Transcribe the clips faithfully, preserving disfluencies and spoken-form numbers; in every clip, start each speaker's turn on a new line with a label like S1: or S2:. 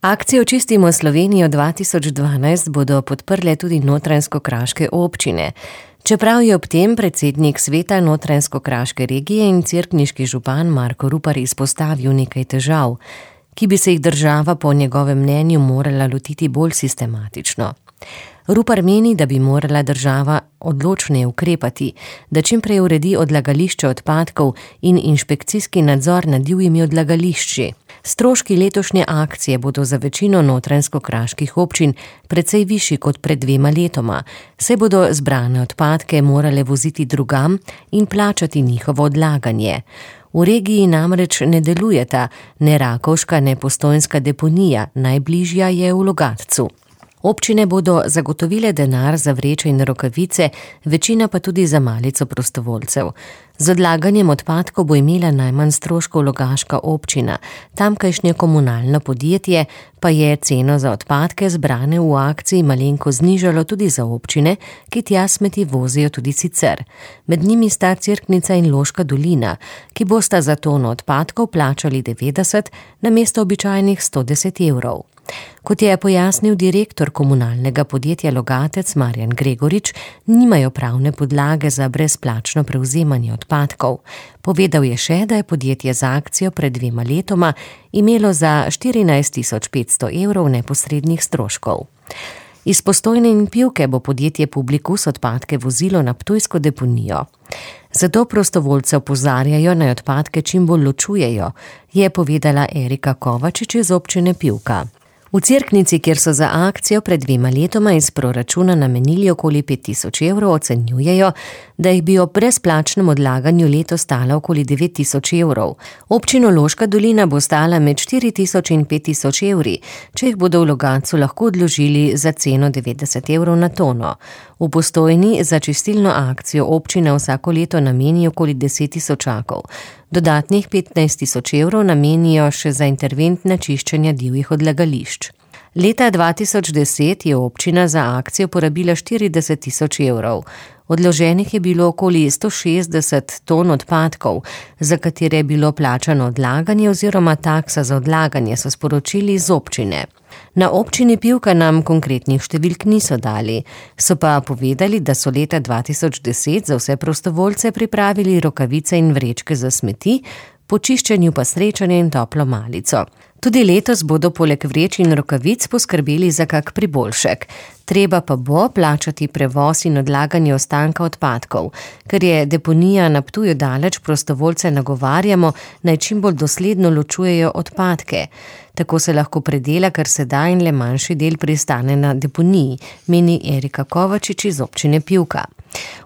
S1: Akcijo Čistimo Slovenijo dva tisoč dvanajst bodo podprle tudi notranjsko-kraške občine. Čeprav je ob tem predsednik sveta notranjsko-kraške regije in cerkniški župan Marko Rupar izpostavil nekaj težav, ki bi se jih država po njegovem mnenju morala lotiti bolj sistematično. Rupar meni, da bi morala država odločneje ukrepati, da čim prej uredi odlagališče odpadkov in inšpekcijski nadzor nad divjimi odlagališči. Stroški letošnje akcije bodo za večino notranjsko-kraških občin precej višji kot pred dvema letoma, saj bodo zbrane odpadke morale voziti drugam in plačati njihovo odlaganje. V regiji namreč ne delujeta ne Rakovška, ne Postojnska deponija, najbližja je v Logatcu. Občine bodo zagotovile denar za vreče in rokavice, večina pa tudi za malico prostovoljcev. Z odlaganjem odpadkov bo imela najmanj stroškov Logaška občina, tamkajšnje komunalno podjetje pa je ceno za odpadke zbrane v akciji malenko znižalo tudi za občine, ki tja smeti vozijo tudi sicer. Med njimi sta Cerknica in Loška dolina, ki bosta za tono odpadkov plačali devetdeset namesto običajnih sto deset evrov. Kot je pojasnil direktor komunalnega podjetja Logatec Marjan Gregorič, nimajo pravne podlage za brezplačno prevzemanje odpadkov. Povedal je še, da je podjetje za akcijo pred dvema letoma imelo za štirinajst tisoč petsto evrov neposrednih stroškov. Iz Postojne in Pivke bo podjetje Publikus odpadke vozilo na ptujsko deponijo. Zato prostovoljce opozarjajo, naj odpadke čim bolj ločujejo, je povedala Erika Kovačič iz občine Pivka. V Cerknici, kjer so za akcijo pred dvema letoma iz proračuna namenili okoli pet tisoč evrov, ocenjujejo, da jih bi ob brezplačnem odlaganju leto stala okoli devet tisoč evrov. Občino Loška dolina bo stala med štiri tisoč in pet tisoč evri, če jih bodo v Logatcu lahko odložili za ceno devetdeset evrov na tono. V Postojni za čistilno akcijo občina vsako leto nameni okoli deset tisočakov. Dodatnih petnajst tisoč evrov namenijo še za interventna čiščenja divjih odlagališč. Leta dva tisoč deset je občina za akcijo porabila štirideset tisoč evrov. Odloženih je bilo okoli sto šestdeset ton odpadkov, za katere je bilo plačano odlaganje oziroma taksa za odlaganje, so sporočili iz občine. Na občini Pivka nam konkretnih številk niso dali, so pa povedali, da so leta dva tisoč deset za vse prostovoljce pripravili rokavice in vrečke za smeti, po čiščenju pa srečanje in toplo malico. Tudi letos bodo poleg vreč in rokavic poskrbeli za kak priboljšek. Treba pa bo plačati prevoz in odlaganje ostanka odpadkov. Ker je deponija na Ptuju daleč, prostovoljce nagovarjamo, naj čim bolj dosledno ločujejo odpadke. Tako se lahko predela, kar se da, in le manjši del pristane na deponiji, meni Erika Kovačič iz občine Pivka.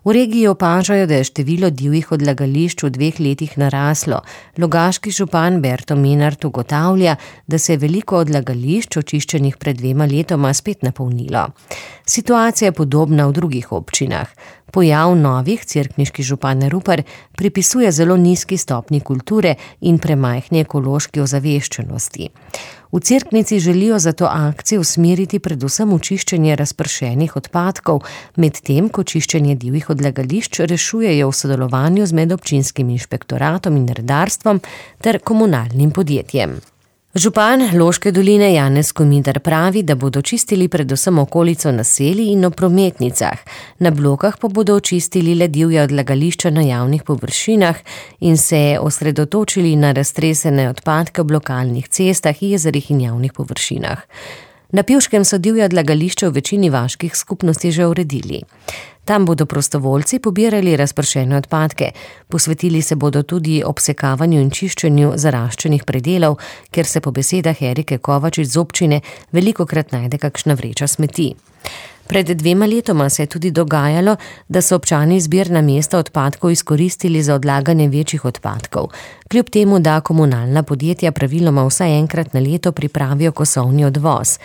S1: V regiji opažajo, da je število divjih odlagališč v dveh letih naraslo. Logaški župan Berto Menart ugotavlja, da se je veliko odlagališč očiščenih pred dvema letoma spet napolnilo. Situacija je podobna v drugih občinah. Pojav novih cerkniški župan Rupar pripisuje zelo nizki stopnji kulture in premajhni ekološki ozaveščenosti. V Cerknici želijo zato akcijo usmeriti predvsem v čiščenje razpršenih odpadkov, medtem ko čiščenje divjih odlagališč rešujejo v sodelovanju z medobčinskim inšpektoratom in redarstvom ter komunalnim podjetjem. Župan Loške doline Janez Komidar pravi, da bodo čistili predvsem okolico naselij in ob prometnicah, na blokah pa bodo očistili le divja odlagališča na javnih površinah in se osredotočili na raztresene odpadke ob lokalnih cestah, jezerih in javnih površinah. Na Pivškem so divja odlagališča v večini vaških skupnosti že uredili. Tam bodo prostovoljci pobirali razpršene odpadke, posvetili se bodo tudi obsekavanju in čiščenju zaraščenih predelov, ker se po besedah Erike Kovačič z občine velikokrat najde kakšna vreča smeti. Pred dvema letoma se je tudi dogajalo, da so občani zbirna mesta odpadkov izkoristili za odlaganje večjih odpadkov, kljub temu, da komunalna podjetja praviloma vsaj enkrat na leto pripravijo kosovni odvoz.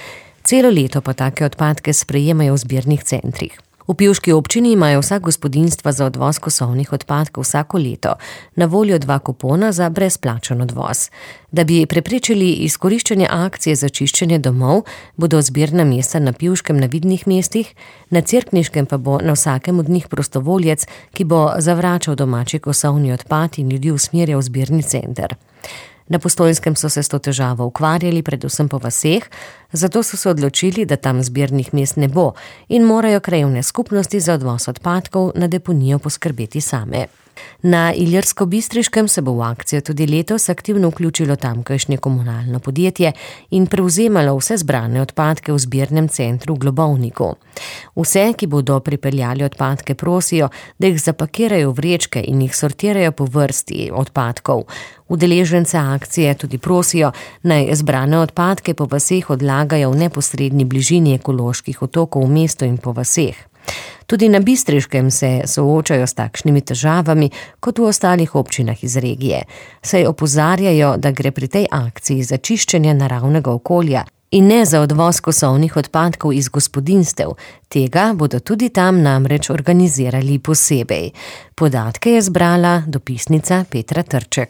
S1: Celo leto pa take odpadke sprejemajo v zbirnih centrih. V Pivški občini imajo vsa gospodinjstva za odvoz kosovnih odpadkov vsako leto na voljo dva kupona za brezplačen odvoz. Da bi preprečili izkoriščanje akcije za čiščenje domov, bodo zbirna mesta na Pivškem na vidnih mestih, na Cerkniškem pa bo na vsakem od njih prostovoljec, ki bo zavračal domači kosovni odpad in ljudi usmerjal v zbirni center. Na Postojnskem so se s to težavo ukvarjali predvsem po vaseh, zato so se odločili, da tam zbirnih mest ne bo in morajo krajevne skupnosti za odvoz odpadkov na deponijo poskrbeti same. Na Ilirsko-Bistriškem se bo v akcijo tudi letos aktivno vključilo tamkajšnje komunalno podjetje in prevzemalo vse zbrane odpadke v zbirnem centru v Globovniku. Vse, ki bodo pripeljali odpadke, prosijo, da jih zapakirajo v vrečke in jih sortirajo po vrsti odpadkov. Udeležence akcije tudi prosijo, naj zbrane odpadke po vaseh odlagajo v neposredni bližini ekoloških otokov v mestu in po vaseh. Tudi na Bistriškem se soočajo s takšnimi težavami kot v ostalih občinah iz regije, saj opozarjajo, da gre pri tej akciji za čiščenje naravnega okolja in ne za odvoz kosovnih odpadkov iz gospodinjstev. Tega bodo tudi tam namreč organizirali posebej. Podatke je zbrala dopisnica Petra Trček.